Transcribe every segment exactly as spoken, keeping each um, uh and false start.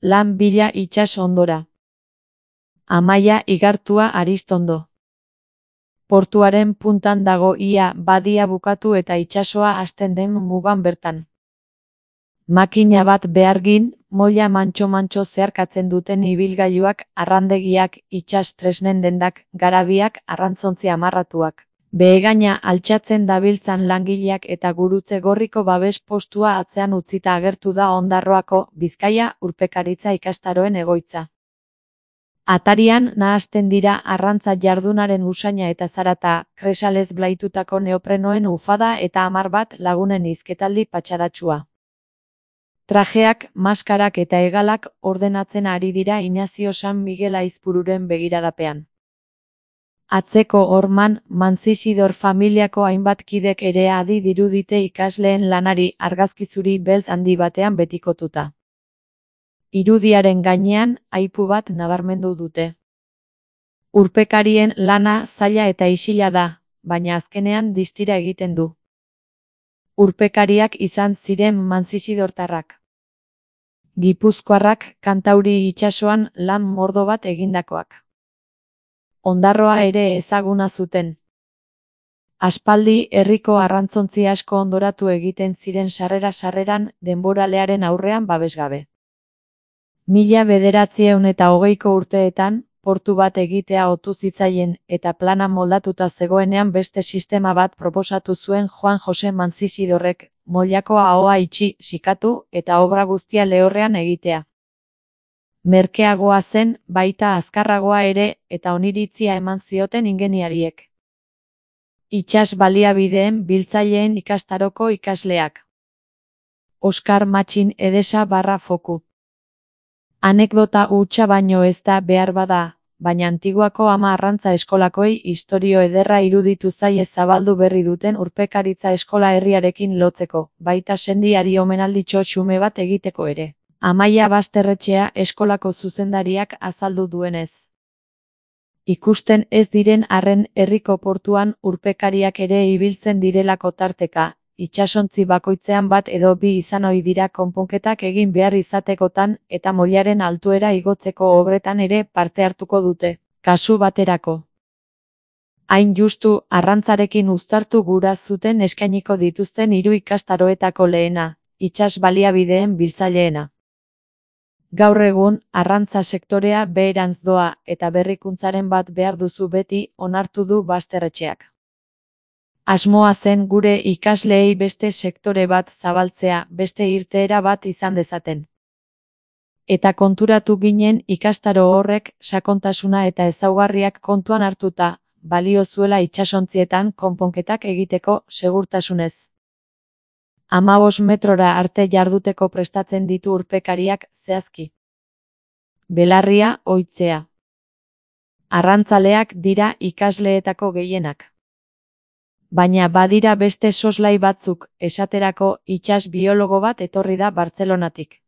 lan bila itsas ondora. Amaia Igartua Aristondo. Portuaren puntan dago ia badia bukatu eta itsasoa hasten den mugan bertan. Makina bat behargin, moila mantxo-mantxo zeharkatzen duten ibilgailuak, arrandegiak, itsas tresnen dendak, garabiak, arrantzontzi amarratuak. Behegaina altxatzen dabiltzan langileak eta gurutze gorriko babes postua atzean utzita agertu da Ondarroako, Bizkaia, urpekaritza ikastaroen egoitza. Atarian nahasten dira arrantza jardunaren usaina eta zarata, kresalez blaitutako neoprenoen ufada eta hamar bat lagunen hizketaldi patxadatsua. Trajeak, maskarak eta hegalak ordenatzen ari dira Inazio San Miguel Aizpururen begiradapean. Atzeko horman, Manzisidor familiako hainbat kidek ere adi dirudite ikasleen lanari argazki beltz handi batean betikotuta. Irudiaren gainean, aipu bat nabarmendu dute. Urpekarien lana zaila eta isila da, baina azkenean distira egiten du. Urpekariak izan ziren manzisidortarrak. Gipuzkoarrak Kantauri itsasoan lan mordo bat egindakoak. Ondarroa ere ezaguna zuten. Aspaldi herriko arrantzontzi asko ondoratu egiten ziren sarrera-sarreran denboralearen aurrean babesgabe. Mila bederatziehun eta hogeiko urteetan, portu bat egitea otu zitzaien eta plana moldatuta zegoenean beste sistema bat proposatu zuen Juan Jose Manzisidorrek, moilako ahoa itxi, sikatu eta obra guztia lehorrean egitea. Merkeagoa zen, baita azkarragoa ere, eta oniritzia eman zioten ingeniariek. Itsas baliabideen biltzaileen ikastaroko ikasleak. Oskar Matxin Edesa barra foku. Anekdota hutsa baino ez da behar bada, baina Antiguako ama arrantza eskolakoei istorio ederra iruditu zaie zabaldu berri duten urpekaritza eskola herriarekin lotzeko, baita sendiari omenalditxo xume bat egiteko ere. Amaia Basterretxea eskolako zuzendariak azaldu duenez. Ikusten ez diren arren herriko portuan urpekariak ere ibiltzen direlako tarteka, itsasontzi bakoitzean bat edo bi izan ohi dira konponketak egin behar izatekotan eta moilaren altuera igotzeko obretan ere parte hartuko dute, kasu baterako. Hain justu, arrantzarekin uztartu gura zuten eskainiko dituzten hiru ikastaroetako lehena, itsas baliabideen biltzaileena. Gaur egun, arrantza sektorea beherantz doa eta berrikuntzaren bat behar duzu beti onartu du Basterretxeak. Asmoa zen gure ikasleei beste sektore bat zabaltzea, beste irteera bat izan dezaten. Eta konturatu ginen ikastaro horrek sakontasuna eta ezaugarriak kontuan hartuta, balio zuela itsasontzietan konponketak egiteko segurtasunez. Hamabost metrora arte jarduteko prestatzen ditu urpekariak zehazki. Belarria ohitzea. Arrantzaleak dira ikasleetako gehienak. Baina badira beste soslai batzuk, esaterako itsas biologo bat etorri da Bartzelonatik.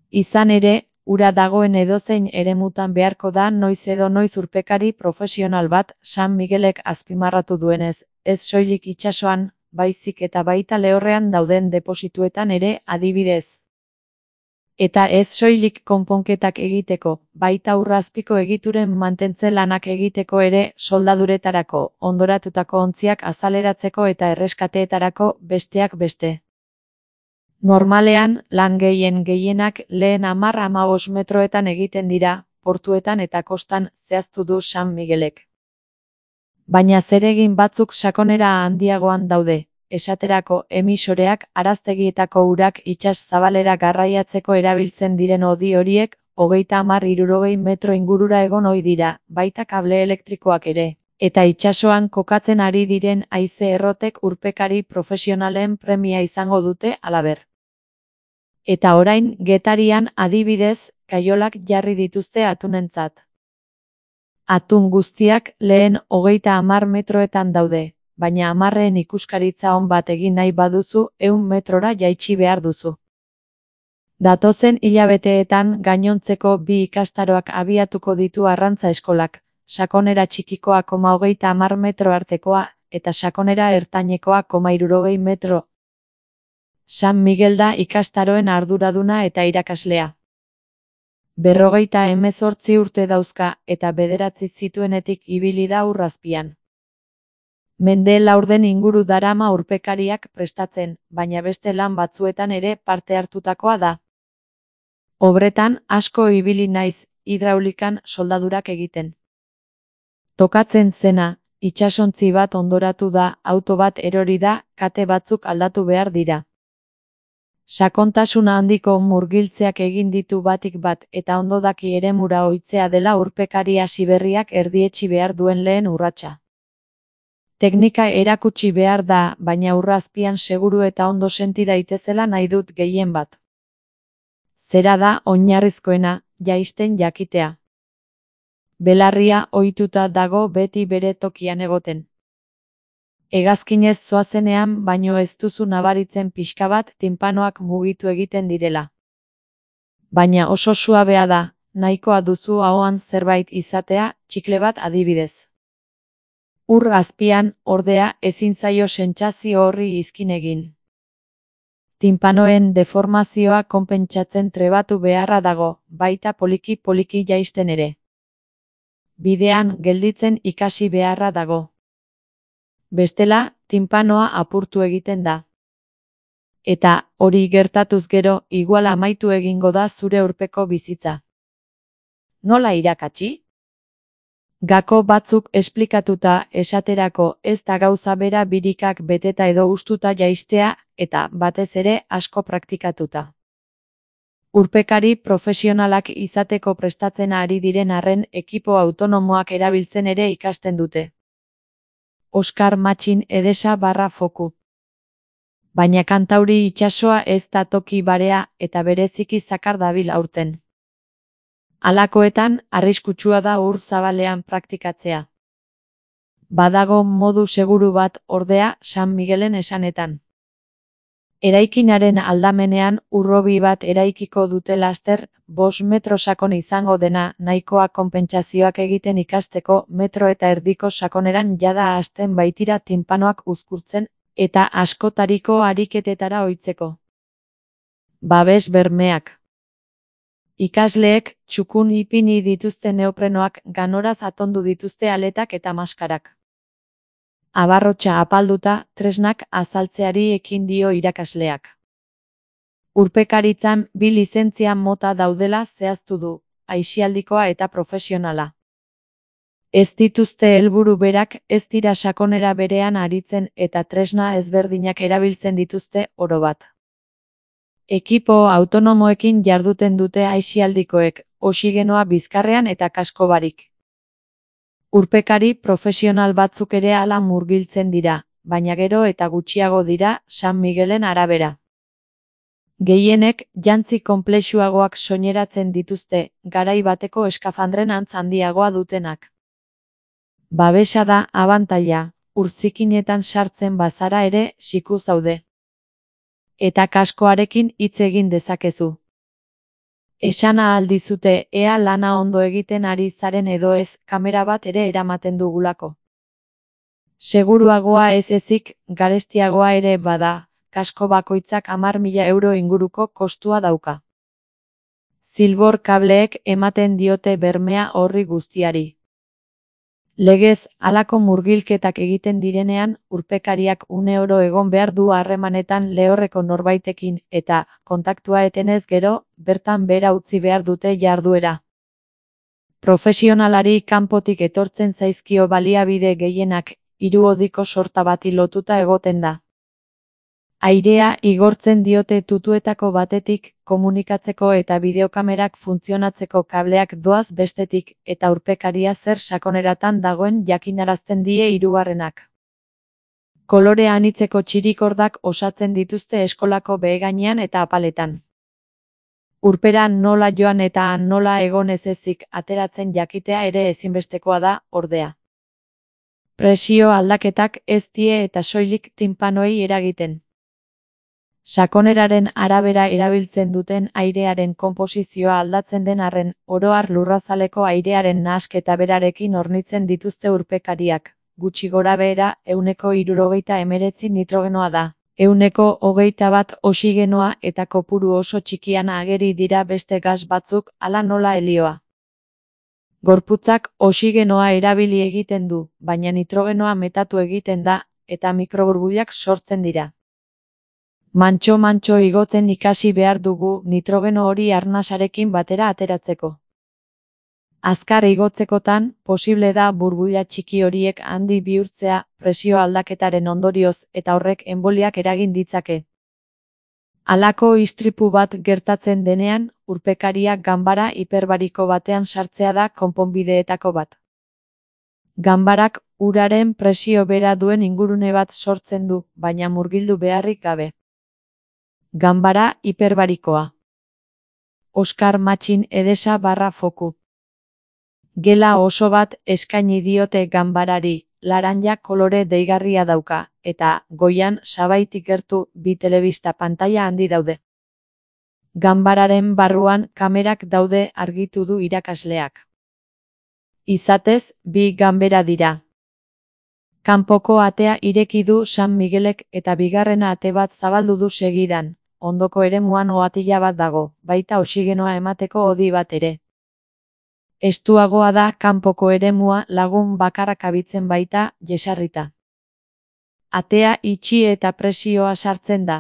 Izan ere, ura dagoen edozein eremutan beharko da noiz edo noiz urpekari profesional bat San Miguelek azpimarratu duenez, ez soilik itsasoan, baizik eta baita lehorrean dauden deposituetan ere adibidez. Eta ez soilik konponketak egiteko, baita urrazpiko egituren mantentze lanak egiteko ere soldaduretarako, ondoratutako ontziak azaleratzeko eta erreskateetarako besteak beste. Normalean, lan gehien gehienak lehen hamar hamabost metroetan egiten dira, portuetan eta kostan zehaztu du San Miguelek. Baina zeregin batzuk sakonera handiagoan daude. Esaterako emisoreak araztegietako urak itsas zabalera garraiatzeko erabiltzen diren hodi horiek, hogeita hamar hirurogei metro ingurura egon ohi dira, baita kable elektrikoak ere, eta itsasoan kokatzen ari diren haize errotek urpekari profesionalen premia izango dute halaber. Eta orain, Getarian adibidez, kaiolak jarri dituzte atunentzat. Atun guztiak lehen hogeita hamar metroetan daude. Baina hamarreen ikuskaritza on bat egin nahi baduzu, ehun metrora jaitsi behar duzu. Datozen hilabeteetan gainontzeko bi ikastaroak abiatuko ditu arrantza eskolak, sakonera txikikoa koma hogeita hamar metro artekoa, eta sakonera ertainekoa koma hirurogei metro. San Miguel da ikastaroen arduraduna eta irakaslea. Berrogeita hemezortzi urte dauzka eta bederatzi zituenetik ibili da ur azpian. Mende laurden inguru darama urpekariak prestatzen, baina beste lan batzuetan ere parte hartutakoa da. Obretan asko ibili naiz, hidraulikan soldadurak egiten. Tokatzen zena, itsasontzi bat ondoratu da, auto bat erori da, kate batzuk aldatu behar dira. Sakontasuna handiko murgiltzeak egin ditu batik bat eta ondo daki eremura ohitzea dela urpekari hasi berriak erdietsi behar duen lehen urratsa. Teknika erakutsi behar da, baina ur azpian seguru eta ondo senti daitezela nahi dut gehien bat. Zera da oinarrizkoena, jaisten jakitea. Belarria ohituta dago beti bere tokian egoten. Hegazkinez zoazenean baino ez duzu nabaritzen pixka bat tinpanoak mugitu egiten direla. Baina oso suabea da, nahikoa duzu ahoan zerbait izatea, txikle bat adibidez. Ur azpian, ordea, ezin zaio sentsazio horri izkin egin. Tinpanoen deformazioa konpentsatzen trebatu beharra dago, baita poliki-poliki jaisten ere. Bidean gelditzen ikasi beharra dago. Bestela, tinpanoa apurtu egiten da. Eta, hori gertatuz gero, igual amaitu egingo da zure urpeko bizitza. Nola irakatsi? Gako batzuk esplikatuta esaterako ez da gauza bera birikak beteta edo ustuta jaistea, eta batez ere asko praktikatuta. Urpekari profesionalak izateko prestatzen ari diren arren ekipo autonomoak erabiltzen ere ikasten dute. Oskar Matxin Edesa barra foku. Baina Kantauri itsasoa ez da toki barea eta bereziki zakar dabil aurten. Halakoetan, arriskutsua da ur zabalean praktikatzea. Badago modu seguru bat ordea San Migelen esanetan. Eraikinaren aldamenean urrobi bat eraikiko dute laster, bost metro sakon izango dena nahikoa konpentsazioak egiten ikasteko metro eta erdiko sakoneran jada hasten baitira tinpanoak uzkurtzen eta askotariko ariketetara ohitzeko. Babes bermeak. Ikasleek txukun ipini dituzte neoprenoak, ganoraz atondu dituzte aletak eta maskarak. Abarrotxa apalduta, tresnak azaltzeari ekin dio irakasleak. Urpekaritzan bi lizentzia mota daudela zehaztu du, aisialdikoa eta profesionala. Ez dituzte helburu berak, ez dira sakonera berean aritzen eta tresna ezberdinak erabiltzen dituzte orobat. Ekipo autonomoekin jarduten dute aisialdikoek, oxigenoa bizkarrean eta kasko barik. Urpekari profesional batzuk ere hala murgiltzen dira, baina gero eta gutxiago dira San Migelen arabera. Gehienek jantzi konplexuagoak soineratzen dituzte, garai bateko eskafandren antz handiagoa dutenak. Babesa da abantaila, urzikinetan sartzen bazara ere siku zaude. Eta kaskoarekin hitz egin dezakezu. Esana aldizute ea lana ondo egiten ari zaren edo ez, kamera bat ere eramaten dugulako. Seguruagoa ez ezik, garestiagoa ere bada, kasko bakoitzak hamar mila euro inguruko kostua dauka. Zilbor kableek ematen diote bermea horri guztiari. Legez, halako murgilketak egiten direnean, urpekariak une oro egon behar du harremanetan lehorreko norbaitekin eta, kontaktua etenez gero, bertan behera utzi behar dute jarduera. Profesionalari kanpotik etortzen zaizkio baliabide gehienak, hiruhodiko sorta bati lotuta egoten da. Airea igortzen diote tutuetako batetik, komunikatzeko eta bideokamerak funtzionatzeko kableak doaz bestetik, eta urpekaria zer sakoneratan dagoen jakinarazten die hirugarrenak. Kolore anitzeko txirikordak osatzen dituzte eskolako behegainean eta apaletan. Urpera nola joan eta nola egon ez ezik ateratzen jakitea ere ezinbestekoa da, ordea. Presio aldaketak ez die eta soilik tinpanoei eragiten. Sakoneraren arabera erabiltzen duten airearen konposizioa aldatzen den arren, oro har lurrazaleko airearen nahasketa berarekin hornitzen dituzte urpekariak, gutxi gorabehera ehuneko hirurogeita hemeretzi nitrogenoa da, Ehuneko hogeita bat oxigenoa eta kopuru oso txikian ageri dira beste gas batzuk, hala nola helioa. Gorputzak oxigenoa erabili egiten du, baina nitrogenoa metatu egiten da, eta mikroburbuilak sortzen dira. Mantxo-mantxo igotzen ikasi behar dugu nitrogeno hori arnasarekin batera ateratzeko. Azkar igotzekotan, posible da burbuila txiki horiek handi bihurtzea presio aldaketaren ondorioz eta horrek enboliak eragin ditzake. Halako istripu bat gertatzen denean, urpekaria ganbara hiperbariko batean sartzea da konponbideetako bat. Ganbarak uraren presio bera duen ingurune bat sortzen du, baina murgildu beharrik gabe. Ganbara hiperbarikoa. Oskar Matxin Edesa barra foku. Gela oso bat eskaini diote ganbarari, laranja kolore deigarria dauka, eta goian sabaitik gertu bi telebista pantaila handi daude. Ganbararen barruan kamerak daude argitu du irakasleak. Izatez, bi ganbera dira. Kanpoko atea ireki du San Miguelek eta bigarrena ate bat zabaldu du segidan, ondoko eremuan ohatila bat dago, baita oxigenoa emateko hodi bat ere. Estuagoa da kanpoko eremua lagun bakarrak abitzen baita, jesarrita. Atea itxi eta presioa sartzen da.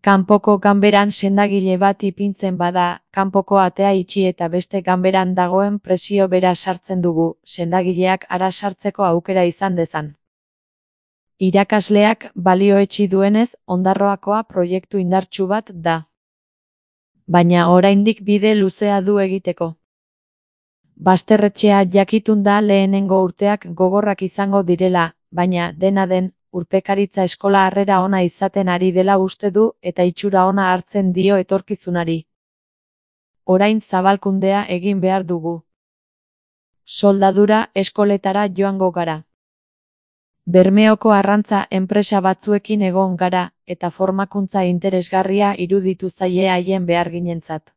Kanpoko ganberan sendagile bat ipintzen bada, kanpoko atea itxi eta beste ganberan dagoen presio bera sartzen dugu, sendagileak hara sartzeko aukera izan dezan. Irakasleak balioetsi duenez, Ondarroakoa proiektu indartsu bat da. Baina oraindik bide luzea du egiteko. Basterretxea jakitun da lehenengo urteak gogorrak izango direla, baina dena den, urpekaritza eskola harrera ona izaten ari dela uste du eta itxura ona hartzen dio etorkizunari. Orain zabalkundea egin behar dugu. Soldadura eskoletara joango gara. Bermeoko arrantza enpresa batzuekin egon gara, eta formakuntza interesgarria iruditu zaie haien beharginentzat.